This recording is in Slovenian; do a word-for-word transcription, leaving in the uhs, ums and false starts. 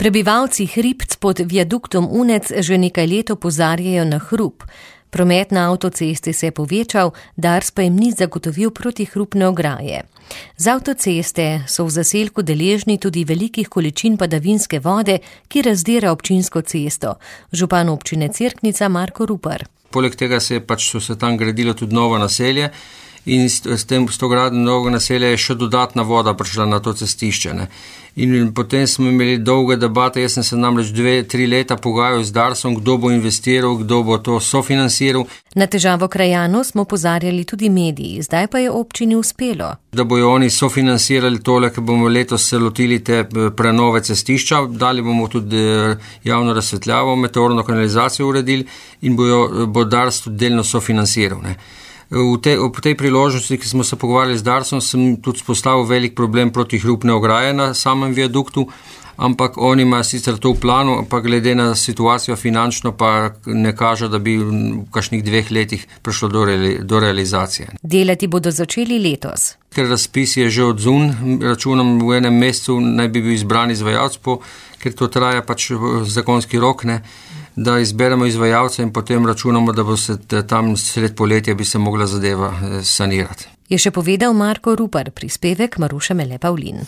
Prebivalci Hribc pod viaduktom Unec že nekaj let opozarjajo na hrup. Promet na avtocesti se je povečal, Dars pa jim ni zagotovil protihrupne ograje. Z avtoceste so v zaselku deležni tudi velikih količin padavinske vode, ki razdira občinsko cesto. Župan občine Cerknica Marko Rupar. Poleg tega se je pač so se tam gradilo tudi novo naselje in s tem s to gradnjo novega naselja je še dodatna voda prišla na to cestišče. Ne. In potem smo imeli dolge debate, jaz sem se namreč dve, tri leta pogajal z Darsom, kdo bo investiral, kdo bo to sofinanciral. Na težavo krajanov smo opozarjali tudi mediji, zdaj pa je občini uspelo. Da bojo oni sofinancirali tole, ker bomo letos se lotili te prenove cestišča, dali bomo tudi javno razsvetljavo, meteorno kanalizacijo uredili in bojo, bo Dars tudi delno sofinanciral. Ne. V tej, v tej priložnosti, ki smo se pogovarjali z Darsom, sem tudi spostavil velik problem protihrupne ograje na samem viaduktu, ampak oni imajo sicer to v planu, pa glede na situacijo finančno pa ne kaže, da bi v kakšnih dveh letih prišlo do, reali, do realizacije. Delati bodo začeli letos. Ker razpis je že odzun, računam v enem mesecu naj bi bil izbran izvajalec, ker to traja pač zakonski rok, ne, da izberemo izvajalce in potem računamo, da bo se tam sred poletja bi se mogla zadeva sanirati. Je še povedal Marko Rupar, prispevek Maruše Mele Pavlin.